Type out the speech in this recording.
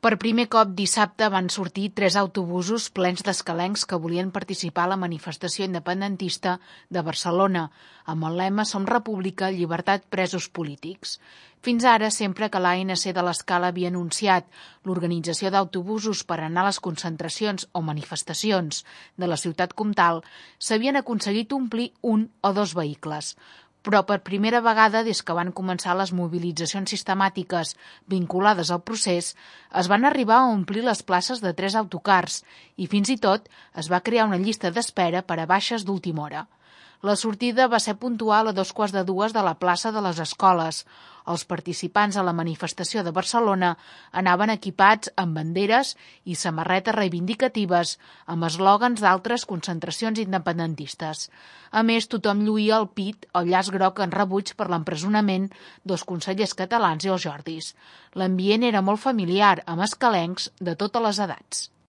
Per primer cop dissabte van sortir 3 autobusos plens d'escalencs que volien participar a la manifestació independentista de Barcelona, amb el lema Som República, llibertat, presos polítics. Fins ara, sempre que l'ANC de l'Escala havia anunciat l'organització d'autobusos per anar a les concentracions o manifestacions de la ciutat comtal, s'havien aconseguit omplir 1 o 2 vehicles. Però per primera vegada des que van començar les mobilitzacions sistemàtiques vinculades al procés, es van arribar a omplir les places de 3 autocars i fins i tot es va crear una llista d'espera per a baixes d'última hora. La sortida va ser puntual a 2:15 de la plaça de les Escoles. Els participants a la manifestació de Barcelona anaven equipats amb banderes i samarretes reivindicatives amb eslògans d'altres concentracions independentistes. A més, tothom lluïa al pit el llaç groc en rebuig per l'empresonament dels consellers catalans i els Jordis. L'ambient era molt familiar, amb escalencs de totes les edats.